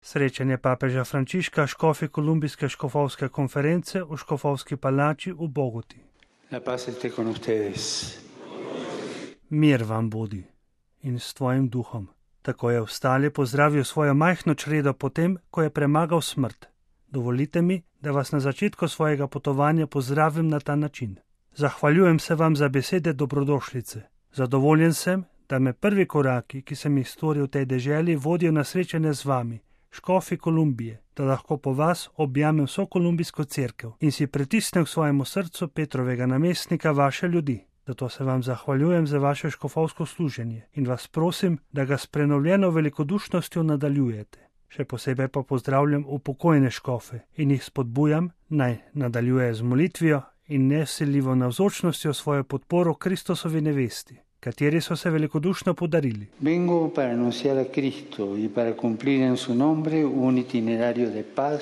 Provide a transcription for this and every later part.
Srečanje papeža Frančiška, škofi Kolumbijske škofovske konference v Škofovski palači v Bogoti. La paz esté con ustedes. Mir vam bodi in s tvojim duhom. Tako je vstali pozdravil svojo majhno čredo potem, ko je premagal smrt. Dovolite mi, da vas na začetku svojega potovanja pozdravim na ta način. Zahvaljujem se vam za besede dobrodošlice. Zadovoljen sem, da me prvi koraki, ki sem jih storil v tej deželi, vodijo na srečanje z vami, škofi Kolumbije, da lahko po vas objamem vso kolumbijsko cerkev in si pritisnem k svojemu srcu Petrovega namestnika, vaše ljudi. Zato se vam zahvaljujem za vaše škofovsko služenje in vas prosim, da ga s prenovljeno velikodušnostjo nadaljujete. Še posebej pa pozdravljam upokojene škofe in jih spodbujam, naj nadaljujejo z molitvijo in neseljivo navzočnostjo svojo podporo Kristusovi nevesti, kateri so se velikodušno podarili. Vengo para anunciar a Cristo y para cumplir en su nombre un itinerario de paz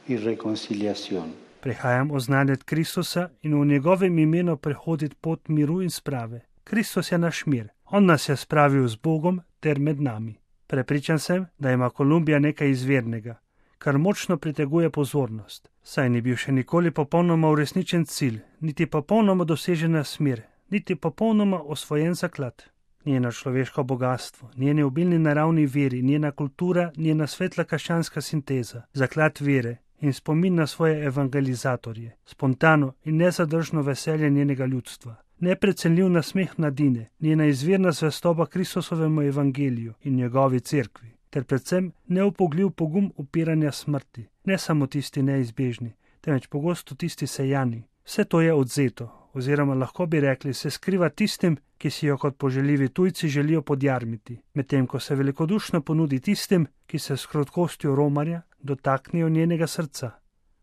y reconciliación. Prihajam oznanjati Kristusa in v njegovem imenu prehoditi pot miru in sprave. Kristus je naš mir. On nas je spravil z Bogom ter med nami. Prepričan sem, da ima Kolumbija nekaj izvirnega, kar močno priteguje pozornost. Saj ni bil še nikoli popolnoma uresničen cilj, niti popolnoma dosežena smer, niti popolnoma osvojen zaklad. Njeno človeško bogatstvo, njeni obilni naravni viri, njena kultura, njena svetla krščanska sinteza, zaklad vere in spomin na svoje evangelizatorje, spontano in nezadržno veselje njenega ljudstva, neprecenljiv nasmeh mladine, njena izvirna zvestoba Kristusovemu evangeliju in njegovi cerkvi, ter predvsem neupogljiv pogum upiranja smrti, ne samo tisti neizbežni, temveč pogosto tisti sejani. Vse to je odzeto, oziroma lahko bi rekli, se skriva tistim, ki si jo kot poželjivi tujci želijo podjarmiti, medtem ko se velikodušno ponudi tistim, ki se s krotkostjo romarja dotaknejo njenega srca.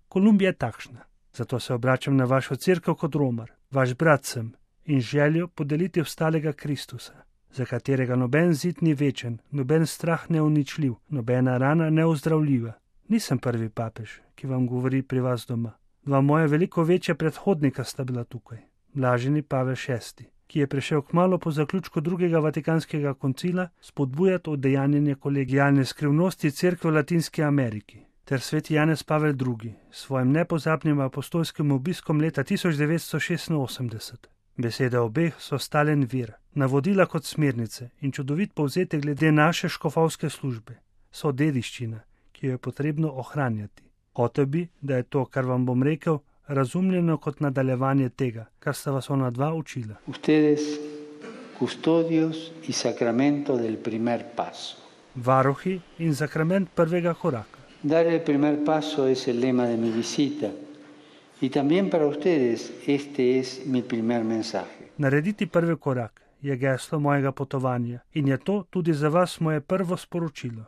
Kolumbija je takšna, zato se obračam na vašo cerkev kot romar, vaš brat sem in željo podeliti ostalega Kristusa, za katerega noben zid ni večen, noben strah neuničljiv, nobena rana neozdravljiva. Nisem prvi papež, ki vam govori pri vas doma. Dva moja veliko večja predhodnika sta bila tukaj. Blaženi Pavel VI, ki je prišel kmalu po zaključku drugega vatikanskega koncila spodbujati udejanjenje kolegijalne skrivnosti cerkve v Latinski Ameriki, ter sveti Janez Pavel II s svojim nepozabnim apostolskim obiskom leta 1986. Besede obeh so stalen vir, navodila kot smernice in čudovit povzetek glede naše škofovske službe, so dediščina, ki jo je potrebno ohranjati. Hotel bi, da je to, kar vam bom rekel, razumljeno kot nadaljevanje tega, kar sta vas ona dva učila. Ustedes, custodios y sacramento del primer paso. Varuhi in sakrament prvega koraka. Dar el primer paso es el lema de mi visita y también para ustedes este es mi primer mensaje. Narediti prvi korak je geslo mojega potovanja in je to tudi za vas moje prvo sporočilo.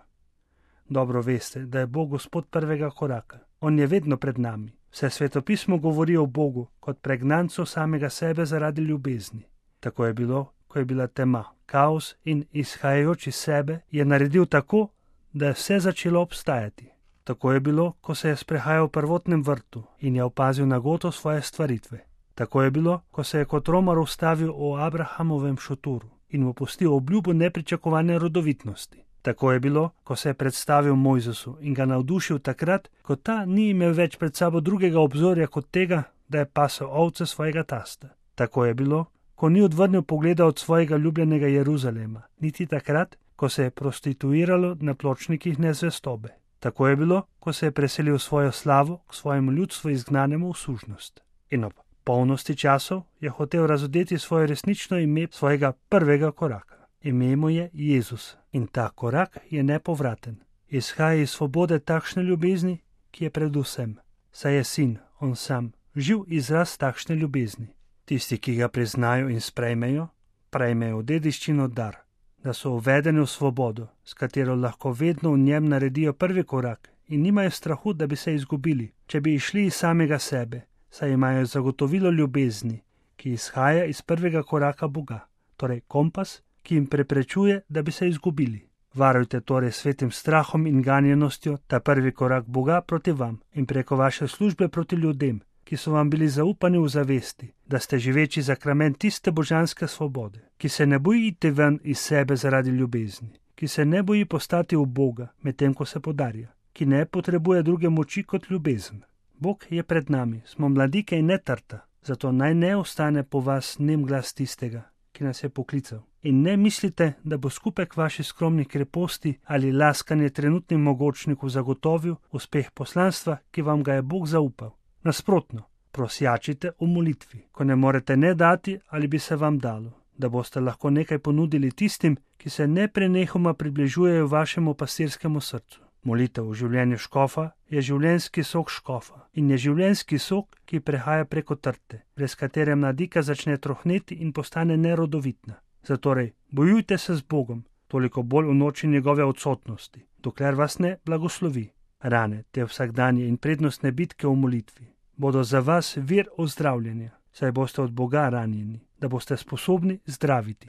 Dobro veste, da je Bog Gospod prvega koraka. On je vedno pred nami. Vse svetopismo govori o Bogu kot pregnancu samega sebe zaradi ljubezni. Tako je bilo, ko je bila tema, kaos in izhajajoč iz sebe je naredil tako, da je vse začelo obstajati. Tako je bilo, ko se je sprehajal v prvotnem vrtu in je opazil nagoto svoje stvaritve. Tako je bilo, ko se je kot romar ustavil v Abrahamovem šoturu in mu pustil obljubo nepričakovane rodovitnosti. Tako je bilo, ko se je predstavil Mojzesu in ga navdušil takrat, ko ta ni imel več pred sabo drugega obzorja kot tega, da je pasel ovce svojega tasta. Tako je bilo, ko ni odvrnil pogleda od svojega ljubljenega Jeruzalema, niti takrat, ko se je prostituiralo na pločnikih nezvestobe. Tako je bilo, ko se je preselil svojo slavo k svojemu ljudstvu izgnanemu v sužnost. In ob polnosti časov je hotel razodeti svoje resnično ime svojega prvega koraka. Ime mu je Jezus in ta korak je nepovraten. Izhaja iz svobode takšne ljubezni, ki je predvsem. Saj je sin, on sam, živ izraz takšne ljubezni. Tisti, ki ga priznajo in sprejmejo, prejmejo dediščino dar, da so uvedeni v svobodo, s katero lahko vedno v njem naredijo prvi korak in nimajo strahu, da bi se izgubili, če bi išli iz samega sebe, saj imajo zagotovilo ljubezni, ki izhaja iz prvega koraka Boga, torej kompas, ki jim preprečuje, da bi se izgubili. Varujte torej svetim strahom in ganjenostjo ta prvi korak Boga proti vam in preko vaše službe proti ljudem, ki so vam bili zaupani v zavesti, da ste živeči sakrament tiste božanske svobode, ki se ne bojite ven iz sebe zaradi ljubezni, ki se ne boji postati v Boga, medtem ko se podarja, ki ne potrebuje druge moči kot ljubezen. Bog je pred nami, smo mladike in ne trta, zato naj ne ostane po vas nem glas tistega, ki nas je poklical. In ne mislite, da bo skupek vaših skromnih kreposti ali laskanje trenutnim mogočniku zagotovil uspeh poslanstva, ki vam ga je Bog zaupal. Nasprotno, prosjačite v molitvi, ko ne morete ne dati ali bi se vam dalo, da boste lahko nekaj ponudili tistim, ki se neprenehoma približujejo vašemu pastirskemu srcu. Molitev v življenju škofa je življenjski sok škofa in je življenjski sok, ki prehaja preko trte, brez katere mladika začne trohneti in postane nerodovitna. Zatorej, bojujte se z Bogom, toliko bolj v noči njegove odsotnosti, dokler vas ne blagoslovi. Rane, te vsakdanje in prednostne bitke v molitvi bodo za vas vir ozdravljenja, saj boste od Boga ranjeni, da boste sposobni zdraviti.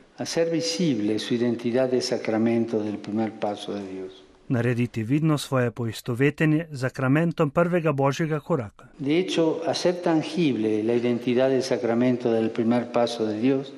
Narediti vidno svoje poistovetenje z sakramentom prvega Božjega koraka. De hecho, hacer tangible la identidad del sacramento del primer paso de Dios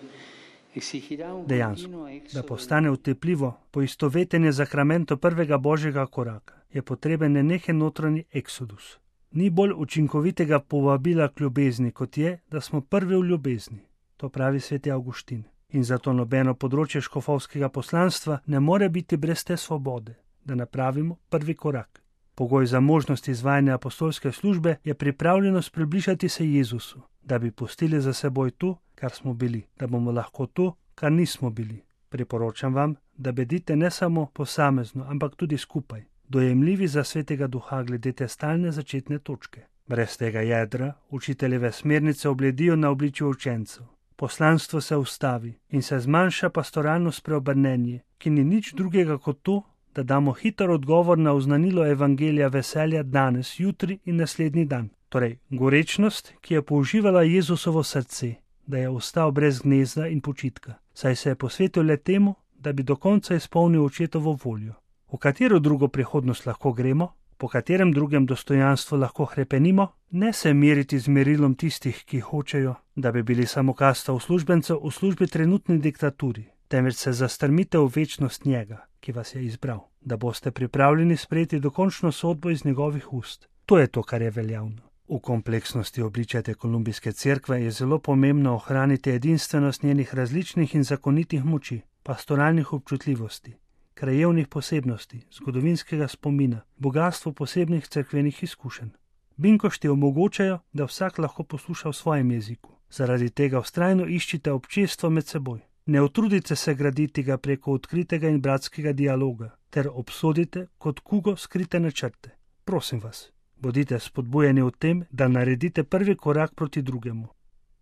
exigirá un Dejansko, da postane utepljivo poistovetenje z sakramentom prvega Božjega koraka, je potreben nenehen notranji eksodus. Ni bolj učinkovitega povabila k ljubezni, kot je, da smo prvi v ljubezni. To pravi sveti Avguštin. In zato nobeno področje škofovskega poslanstva ne more biti brez te svobode, da napravimo prvi korak. Pogoj za možnost izvajanja apostolske službe je pripravljenost približati se Jezusu, da bi pustili za seboj to, kar smo bili, da bomo lahko to, kar nismo bili. Priporočam vam, da bedite ne samo posamezno, ampak tudi skupaj, dojemljivi za svetega duha glede te stalne začetne točke. Brez tega jedra učiteljeve smernice obledijo na obličju učencev. Poslanstvo se ustavi in se zmanjša pastoralno spreobrnenje, ki ni nič drugega kot to, da damo hiter odgovor na oznanilo evangelija veselja danes, jutri in naslednji dan. Torej, gorečnost, ki je použivala Jezusovo srce, da je ostal brez gnezda in počitka, saj se je posvetil le temu, da bi do konca izpolnil očetovo voljo. V katero drugo prihodnost lahko gremo? Po katerem drugem dostojanstvu lahko hrepenimo? Ne se meriti z merilom tistih, ki hočejo, da bi bili samo kasta uslužbencev v službi trenutni diktaturi, temveč se zastrmite v večnost njega, ki vas je izbral, da boste pripravljeni sprejeti dokončno sodbo iz njegovih ust. To je to, kar je veljavno. V kompleksnosti obličja te kolumbijske cerkve je zelo pomembno ohraniti edinstvenost njenih različnih in zakonitih moči, pastoralnih občutljivosti, krajevnih posebnosti, zgodovinskega spomina, bogatstvo posebnih cerkvenih izkušenj. Binkošti omogočajo, da vsak lahko posluša v svojem jeziku. Zaradi tega vztrajno iščite občestvo med seboj. Ne utrudite se graditi ga preko odkritega in bratskega dialoga, ter obsodite kot kugo skrite načrte. Prosim vas, bodite spodbujeni v tem, da naredite prvi korak proti drugemu.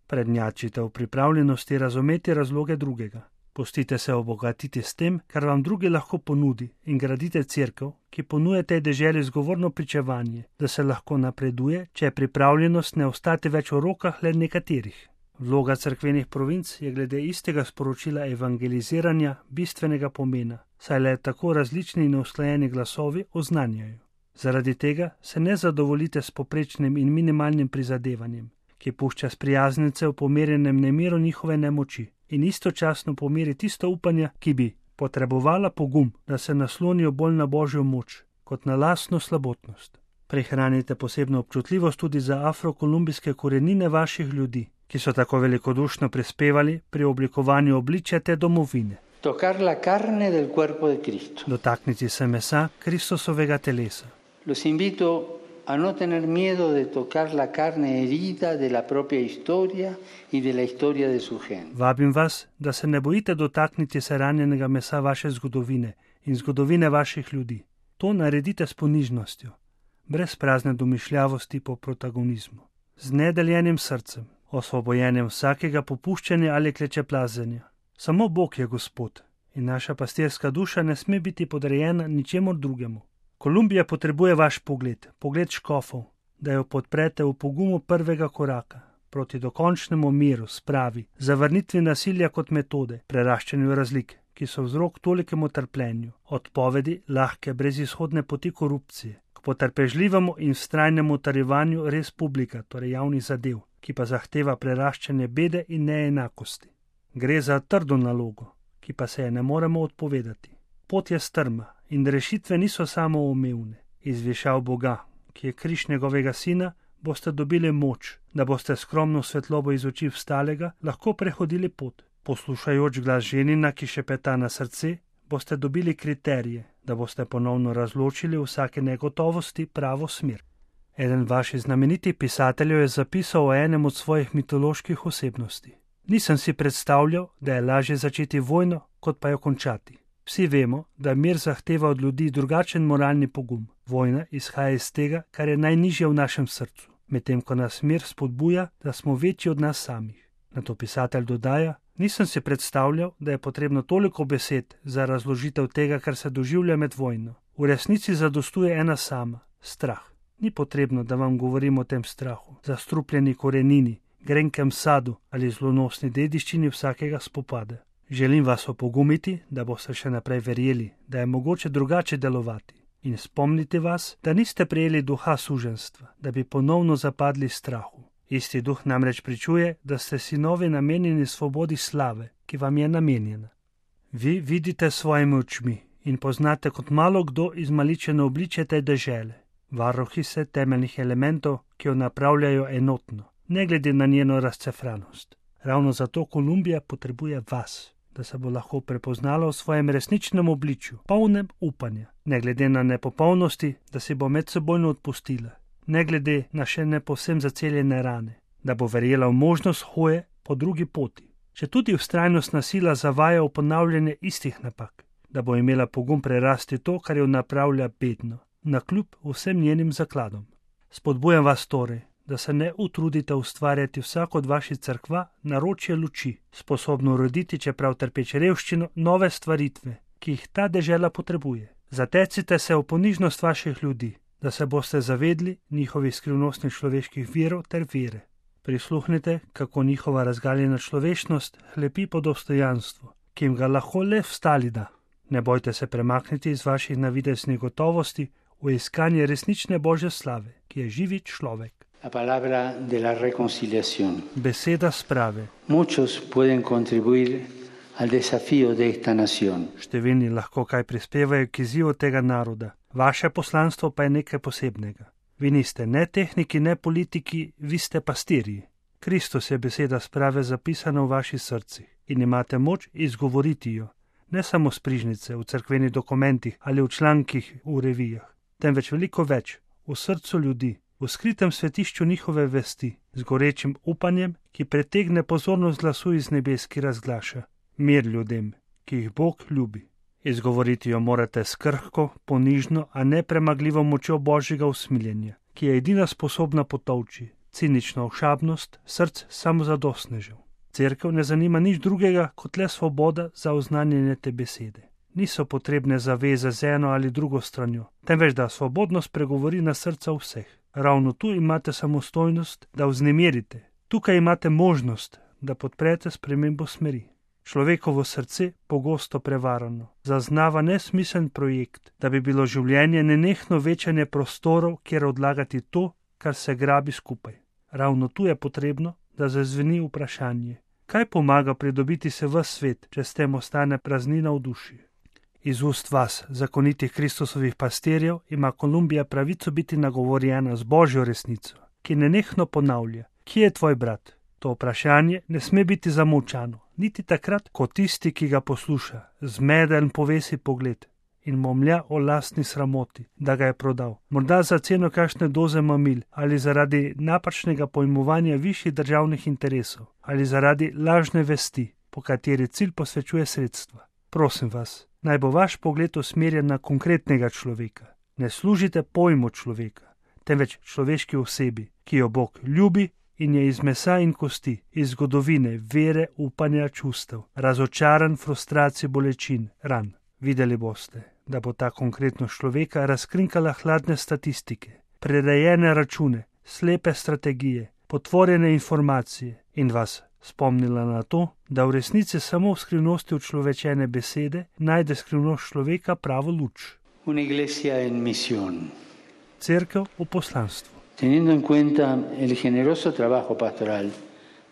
Prednjačite v pripravljenosti razumeti razloge drugega. Pustite se obogatiti s tem, kar vam drugi lahko ponudi, in gradite cerkev, ki ponuja tej deželi zgovorno pričevanje, da se lahko napreduje, če je pripravljenost ne ostati več v rokah le nekaterih. Vloga cerkvenih provinc je glede istega sporočila evangeliziranja bistvenega pomena, saj le tako različni in usklajeni glasovi oznanjajo. Zaradi tega se ne zadovoljite s poprečnim in minimalnim prizadevanjem, ki pušča sprijaznence v pomerjenem nemiru njihove nemoči in istočasno pomeri tisto upanje, ki bi potrebovala pogum, da se naslonijo bolj na Božjo moč, kot na lastno slabotnost. Prihranite posebno občutljivost tudi za afrokolumbijske korenine vaših ljudi, ki so tako velikodušno prispevali pri oblikovanju obličja te domovine. Tocar la carne del cuerpo de Cristo. Dotakniti se mesa Kristusovega telesa. Los invito a no tener miedo de tocar la carne herida de la propia historia y de la historia de su gente. Vabim vas, da se ne bojite dotakniti se ranjenega mesa vaše zgodovine in zgodovine vaših ljudi. To naredite s ponižnostjo, brez prazne domišljavosti po protagonizmu, z nedeljenim srcem, osvobojenjem vsakega popuščanja ali klečeplazenja. Samo Bog je Gospod in naša pastirska duša ne sme biti podrejena ničemur drugemu. Kolumbija potrebuje vaš pogled, pogled škofov, da jo podprete v pogumu prvega koraka proti dokončnemu miru, spravi, zavrnitvi nasilja kot metode, preraščanju razlik, ki so vzrok tolikemu trpljenju, odpovedi lahke brezizhodne poti korupcije, k potrpežljivemu in vztrajnemu utrjevanju res publika, torej javnih zadev, ki pa zahteva preraščanje bede in neenakosti. Gre za trdo nalogo, ki pa se je ne moremo odpovedati. pot je strma in rešitve niso samoumevne. Iz višav Boga, ki je križ njegovega sina, boste dobili moč, da boste skromno svetlobo iz oči vstalega lahko prehodili pot. Poslušajoč glas ženina, ki šepeta na srce, boste dobili kriterije, da boste ponovno razločili vsake negotovosti pravo smer. Eden vaših znamenitih pisateljev je zapisal o enem od svojih mitoloških osebnosti. Nisem si predstavljal, da je lažje začeti vojno, kot pa jo končati. Vsi vemo, da mir zahteva od ljudi drugačen moralni pogum. Vojna izhaja iz tega, kar je najnižje v našem srcu, medtem ko nas mir spodbuja, da smo večji od nas samih. Nato pisatelj dodaja: nisem si predstavljal, da je potrebno toliko besed za razložitev tega, kar se doživlja med vojno. V resnici zadostuje ena sama: strah. Ni potrebno, da vam govorim o tem strahu, zastrupljeni korenini, grenkem sadu ali zlonosni dediščini vsakega spopada. Želim vas opogumiti, da boste še naprej verjeli, da je mogoče drugače delovati, in spomniti vas, da niste prejeli duha suženjstva, da bi ponovno zapadli strahu. Isti duh namreč pričuje, da ste sinovi namenjeni svobodi slave, ki vam je namenjena. Vi vidite svojimi očmi in poznate kot malo kdo izmaličeno obličje te dežele. Varuhi se temeljnih elementov, ki jo napravljajo enotno, ne glede na njeno razcefranost. Ravno zato Kolumbija potrebuje vas, da se bo lahko prepoznala v svojem resničnem obličju, polnem upanja, ne glede na nepopolnosti, da si bo medsebojno odpustila, ne glede na še ne povsem zaceljene rane, da bo verjela v možnost hoje po drugi poti, če tudi vztrajnostna sila zavaja v ponavljanje istih napak, da bo imela pogum prerasti to, kar jo napravlja bedno, nakljub vsem njenim zakladom. Spodbujam vas torej, da se ne utrudite ustvarjati vsako od vaših cerkva naročje luči, sposobno uroditi, čeprav trpeč revščino, nove stvaritve, ki jih ta dežela potrebuje. Zatecite se v ponižnost vaših ljudi, da se boste zavedli njihovih skrivnostnih človeških virov ter vere. Prisluhnite, kako njihova razgaljena človečnost hlepi po dostojanstvu, ki jim ga lahko le vstali da. Ne bojte se premakniti iz vaših navideznih gotovosti v iskanje resnične Božje slave, ki je živi človek. La palabra de la reconciliación. Beseda sprave. Muchos pueden contribuir al desafío de esta nación. Številni lahko kaj prispevajo k izzivu tega naroda. Vaše poslanstvo pa je nekaj posebnega. Vi niste ne tehniki, ne politiki, vi ste pastirji. Kristus je beseda sprave zapisana v vaših srcih in imate moč izgovoriti jo, ne samo s prižnice, v cerkvenih dokumentih ali v člankih v revijah, temveč veliko več, v srcu ljudi, v skritem svetišču njihove vesti, z gorečim upanjem, ki pretegne pozornost glasu iz nebes, ki razglaša: mir ljudem, ki jih Bog ljubi. Izgovoriti jo morate s krhko, ponižno, a ne premagljivo močjo Božjega usmiljenja, ki je edina sposobna potolči cinično ošabnost src samozadostnežev. Cerkev ne zanima nič drugega kot le svoboda za oznanjanje te besede. Niso potrebne zaveze z eno ali drugo stranjo, temveč da svobodno spregovori na srca vseh. Ravno tu imate samostojnost, da vznemirite. Tukaj imate možnost, da podprete spremembo smeri. Človekovo srce, pogosto prevarano, zaznava nesmiseln projekt, da bi bilo življenje nenehno večanje prostorov, kjer odlagati to, kar se grabi skupaj. Ravno tu je potrebno, da zazveni vprašanje: kaj pomaga pridobiti se v svet, če s tem ostane praznina v duši? Iz ust vas, zakonitih Kristusovih pastirjev, ima Kolumbija pravico biti nagovorjena z Božjo resnico, ki nenehno ponavlja: kje je tvoj brat? To vprašanje ne sme biti zamolčano, niti takrat, ko tisti, ki ga posluša, zmeden povesi pogled in momlja o lastni sramoti, da ga je prodal, morda za ceno kakšne doze mamil ali zaradi napačnega pojmovanja višjih državnih interesov ali zaradi lažne vesti, po kateri cilj posvečuje sredstva. Prosim vas, naj bo vaš pogled usmerjen na konkretnega človeka. Ne služite pojmu človeka, temveč človeški osebi, ki jo Bog ljubi in je iz mesa in kosti, iz zgodovine, vere, upanja, čustev, razočaran, frustracij, bolečin, ran. Videli boste, da bo ta konkretnost človeka razkrinkala hladne statistike, prerejene račune, slepe strategije, potvorjene informacije in vas spomnila na to, da v resnici samo v skrivnosti učlovečene besede najde skrivnost človeka pravo luč. Una iglesia en misión. Cerkev v poslanstvu. Teniendo en cuenta el generoso trabajo pastoral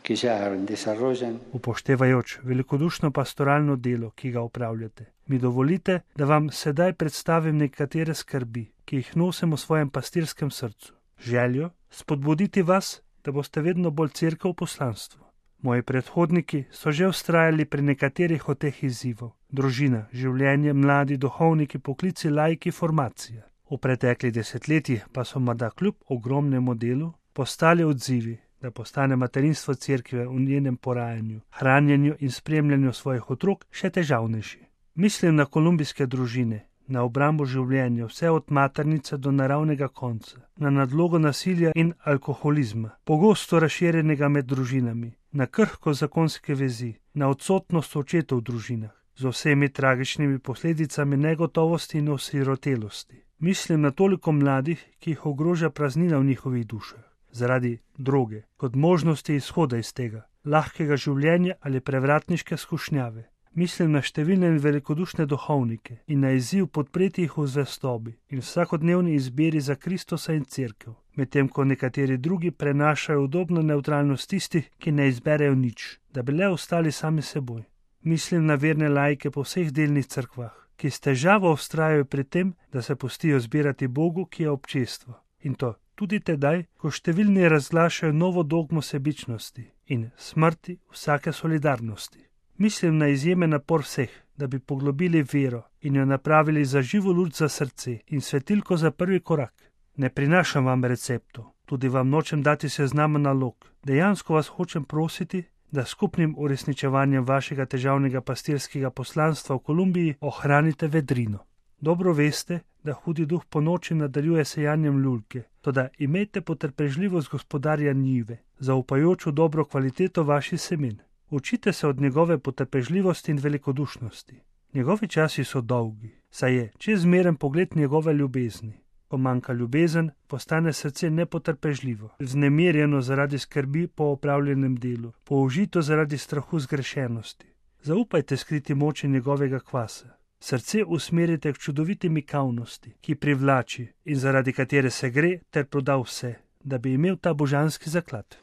que ya desarrollan, upoštevajoč velikodušno pastoralno delo, ki ga opravljate, Mi dovolite, da vam sedaj predstavim nekatere skrbi, ki jih nosim v svojem pastirskem srcu. Željo spodbuditi vas, da boste vedno bolj cerkev v poslanstvu. Moji predhodniki so že vztrajali pri nekaterih od teh izzivov. Družina, življenje, mladi, duhovniki, poklici, laiki, formacija. V preteklih desetletjih pa so morda kljub ogromnemu delu postali odzivi, da postane materinstvo cerkve v njenem porajanju, hranjenju in spremljanju svojih otrok še težavnejši. Mislim na kolumbijske družine, na obrambo življenja, vse od maternice do naravnega konca, na nadlogo nasilja in alkoholizma, pogosto razširjenega med družinami, na krhko zakonske vezi, na odsotnost očetov v družinah, z vsemi tragičnimi posledicami negotovosti in osirotelosti. Mislim na toliko mladih, ki jih ogroža praznina v njihovih dušah, zaradi droge, kot možnosti izhoda iz tega, lahkega življenja ali prevratniške skušnjave. Mislim na številne in velikodušne duhovnike in na izziv podpreti jih v zvestobi in vsakodnevni izbiri za Kristusa in cerkev, medtem ko nekateri drugi prenašajo udobno nevtralnost tistih, ki ne izberejo nič, da bi le ostali sami seboj. Mislim na verne laike po vseh delnih cerkvah, ki s težavo vztrajajo pri tem, da se pustijo zbirati Bogu, ki je občestvo. In to tudi tedaj, ko številni razglašajo novo dogmo sebičnosti in smrti vsake solidarnosti. Mislim na izjemen napor vseh, da bi poglobili vero in jo napravili za živo luč za srce in svetilko za prvi korak. Ne prinašam vam receptov, tudi vam nočem dati seznama nalog. Dejansko vas hočem prositi, da skupnim uresničevanjem vašega težavnega pastirskega poslanstva v Kolumbiji ohranite vedrino. Dobro veste, da hudi duh po noči nadaljuje sejanjem lulke, toda imejte potrpežljivost gospodarja njive, zaupajoč v dobro kvaliteto vaših semen. Učite se od njegove potrpežljivosti in velikodušnosti. Njegovi časi so dolgi, saj je čezmeren pogled njegove ljubezni. Ko manjka ljubezen, postane srce nepotrpežljivo, vznemirjeno zaradi skrbi po opravljenem delu, použito zaradi strahu zgrešenosti. Zaupajte skriti moči njegovega kvasa. Srce usmerite k čudoviti mikavnosti, ki privlači in zaradi katere se gre ter proda vse, da bi imel ta božanski zaklad.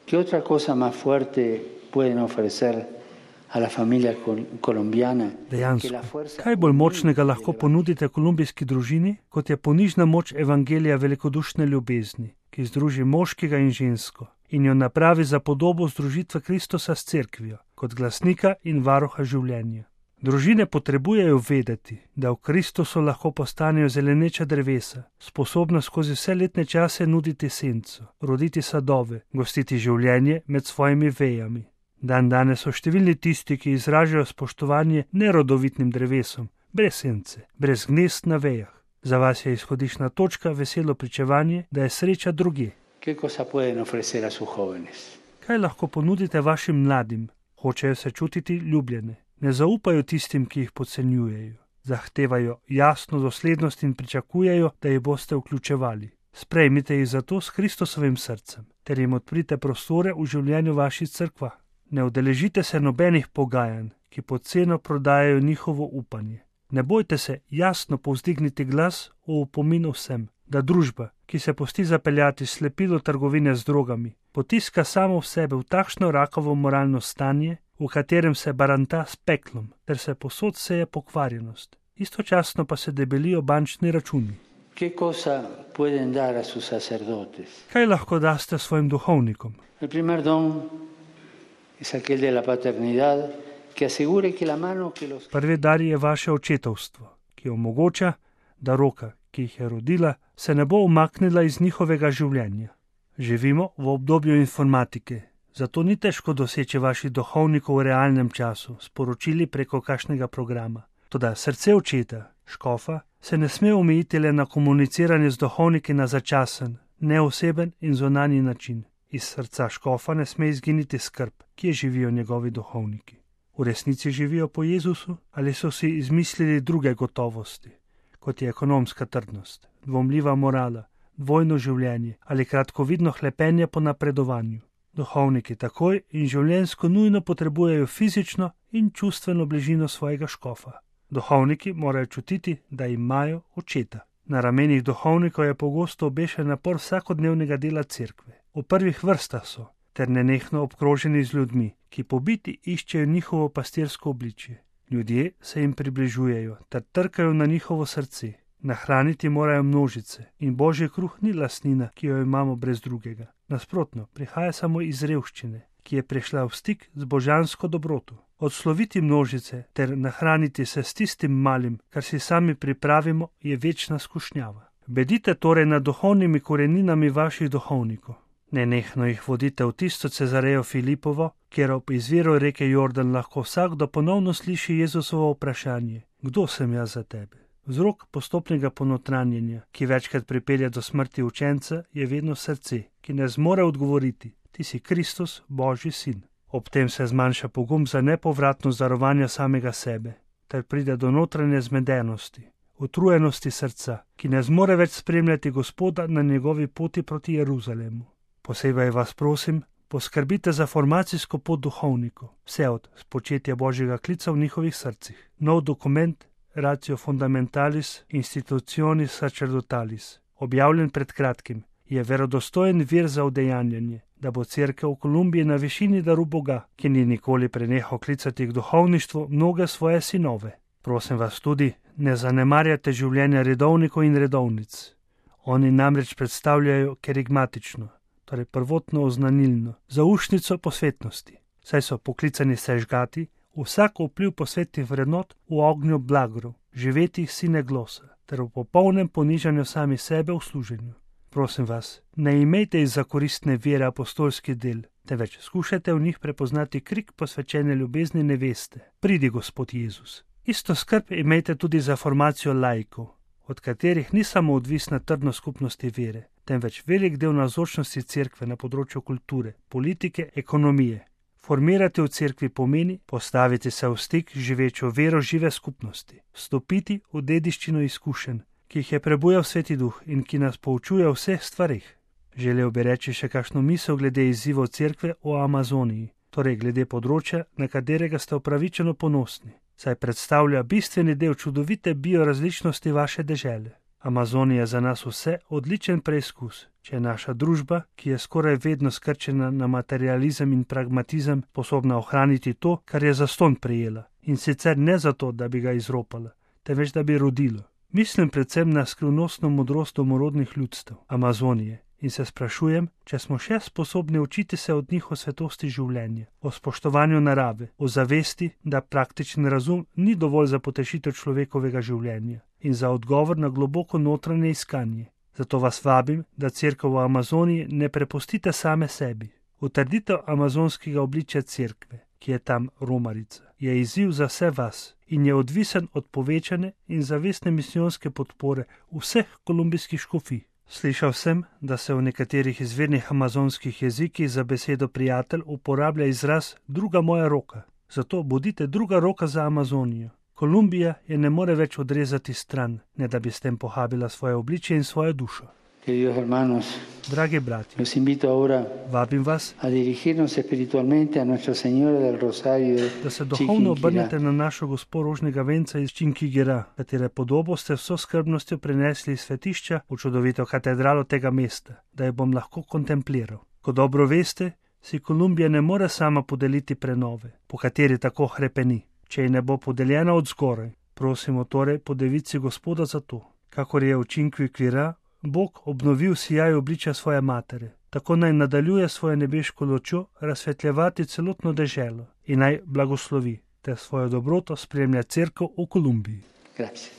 ¿Qué otra cosa más fuerte pueden ofrecer a la familia colombiana? Dejansko, kaj bolj močnega lahko ponudite kolumbijski družini, kot je ponižna moč evangelija velikodušne ljubezni, ki združi moškega in žensko in jo napravi za podobo združitve Kristusa s cerkvijo, kot glasnika in varuha življenja. Družine potrebujejo vedeti, da v Kristusu lahko postanejo zeleneča drevesa, sposobna skozi vse letne čase nuditi senco, roditi sadove, gostiti življenje med svojimi vejami. Danes so številni tisti, ki izražajo spoštovanje nerodovitnim drevesom, brez sence, brez gnezd na vejah. Za vas je izhodišna točka veselo pričevanje, da je sreča drugje. Kaj lahko ponudite vašim mladim? Hočejo se čutiti ljubljene. Ne zaupajo tistim, ki jih podcenjujejo. Zahtevajo jasno doslednost in pričakujejo, da jih boste vključevali. Sprejmite jih zato s Kristusovim srcem, ter jim odprite prostore v življenju vaših cerkva. Ne udeležite se nobenih pogajanj, ki pod ceno prodajajo njihovo upanje. Ne bojte se jasno povzdigniti glas v opomin vsem, da družba, ki se pusti zapeljati slepilo trgovine z drogami, potiska samo v sebe v takšno rakavo moralno stanje, v katerem se baranta s peklom, ter se posod seje pokvarjenost. Istočasno pa se debelijo bančni računi. Kaj lahko daste svojim duhovnikom? Prvi dar je vaše očetovstvo, ki omogoča, da roka, ki jih je rodila, se ne bo umaknila iz njihovega življenja. Živimo v obdobju informatike, zato ni težko doseči vaših duhovnikov v realnem času, sporočili preko kakšnega programa. Toda srce očeta, škofa, se ne sme omejiti le na komuniciranje z duhovniki na začasen, neoseben in zunanji način. Iz srca škofa ne sme izginiti skrb, kje živijo njegovi duhovniki. V resnici živijo po Jezusu ali so si izmislili druge gotovosti, kot je ekonomska trdnost, dvomljiva morala, dvojno življenje ali kratkovidno hlepenje po napredovanju. Duhovniki takoj in življenjsko nujno potrebujejo fizično in čustveno bližino svojega škofa. Duhovniki morajo čutiti, da imajo očeta. Na ramenih duhovnikov je pogosto obešen napor vsakodnevnega dela cerkve. V prvih vrstah so, ter nenehno obkroženi z ljudmi, ki pobiti iščejo njihovo pastirsko obličje. Ljudje se jim približujejo ter trkajo na njihovo srce. Nahraniti morajo množice in božji kruh ni lastnina, ki jo imamo brez drugega. Nasprotno, prihaja samo iz revščine, ki je prišla v stik z božansko dobroto. Odsloviti množice ter nahraniti se s tistim malim, kar si sami pripravimo, je večna skušnjava. Bedite torej nad duhovnimi koreninami vaših duhovnikov. Nenehno jih vodite v tisto Cezarejo Filipovo, kjer ob izviru reke Jordan lahko vsakdo ponovno sliši Jezusovo vprašanje: Kdo sem jaz za tebe? Vzrok postopnega ponotranjenja, ki večkrat pripelje do smrti učenca, je vedno srce, ki ne zmore odgovoriti: Ti si Kristus, Božji sin. Ob tem se zmanjša pogum za nepovratno darovanje samega sebe, ter pride do notranje zmedenosti, utrujenosti srca, ki ne zmore več spremljati Gospoda na njegovi poti proti Jeruzalemu. Posebej vas prosim, poskrbite za formacijsko pot duhovnikov, vse od spočetja Božjega klica v njihovih srcih. Nov dokument Ratio Fundamentalis Institutionis Sacerdotalis, objavljen pred kratkim, je verodostojen vir za udejanjanje, da bo cerkev v Kolumbiji na višini daru Boga, ki ni nikoli prenehal klicati k duhovništvu mnoge svoje sinove. Prosim vas tudi, ne zanemarjate življenja redovnikov in redovnic. Oni namreč predstavljajo kerigmatično, torej prvotno oznanilno, zaušnico posvetnosti, saj so poklicani sežgati vsak vpliv posvetnih vrednot v ognju blagrov, živetih sine glosa, ter v popolnem ponižanju sami sebe v služenju. Prosim vas, ne imejte iz zakoristne vere apostolskih del, temveč skušajte v njih prepoznati krik posvečene ljubezni neveste: Pridi, Gospod Jezus. Isto skrb imejte tudi za formacijo laikov, od katerih ni samo odvisna trdnost skupnosti vere, temveč velik del navzočnosti cerkve na področju kulture, politike, ekonomije. Formirati v cerkvi pomeni postaviti se v stik z živečo vero žive skupnosti, vstopiti v dediščino izkušenj, ki jih je prebujal Sveti Duh in ki nas poučuje o vseh stvarih. Želel bi reči še kakšno misel glede izzivov cerkve o Amazoniji, torej glede področja, na katerega ste upravičeno ponosni, saj predstavlja bistveni del čudovite biorazličnosti vaše dežele. Amazonija je za nas vse odličen preizkus, če je naša družba, ki je skoraj vedno skrčena na materializem in pragmatizem, sposobna ohraniti to, kar je zastonj prejela, in sicer ne zato, da bi ga izropala, temveč da bi rodilo. Mislim predvsem na skrivnostno modrost domorodnih ljudstev Amazonije in se sprašujem, če smo še sposobni učiti se od njih o svetosti življenja, o spoštovanju narave, o zavesti, da praktičen razum ni dovolj za potešitev človekovega življenja in za odgovor na globoko notranje iskanje. Zato vas vabim, da cerkev v Amazoniji ne prepustite same sebi. Utrditev amazonskega obličja cerkve, ki je tam romarica, je izziv za vse vas in je odvisen od povečane in zavestne misijonske podpore vseh kolumbijskih škofij. Slišal sem, da se v nekaterih izvirnih amazonskih jezikih za besedo prijatelj uporablja izraz druga moja roka. Zato bodite druga roka za Amazonijo. Kolumbija je ne more več odrezati stran, ne da bi s tem pohabila svoje obličje in svojo dušo. Queridos hermanos, Dragi bratje, los invito ahora vabim vas, a dirigirnos espiritualmente a Nuestra Señora del Rosario da se duhovno obrnete na našo Gospo Rožnega venca iz Činkigira, katere podobo ste vso skrbnostjo prenesli iz svetišča v čudovito katedralo tega mesta, da jo bom lahko kontempliral. Ko dobro veste, si Kolumbija ne more sama podeliti prenove, po kateri tako hrepeni, če ji ne bo podeljena od zgoraj. Prosimo torej po devici Gospoda za to. Kakor je v Činquikvira Bog obnovil sijaj obličja svoje matere, tako naj nadaljuje svojo nebeško lučjo razsvetljevati celotno deželo in naj blagoslovi, ter svojo dobroto spremlja cerkev v Kolumbiji. Grazie.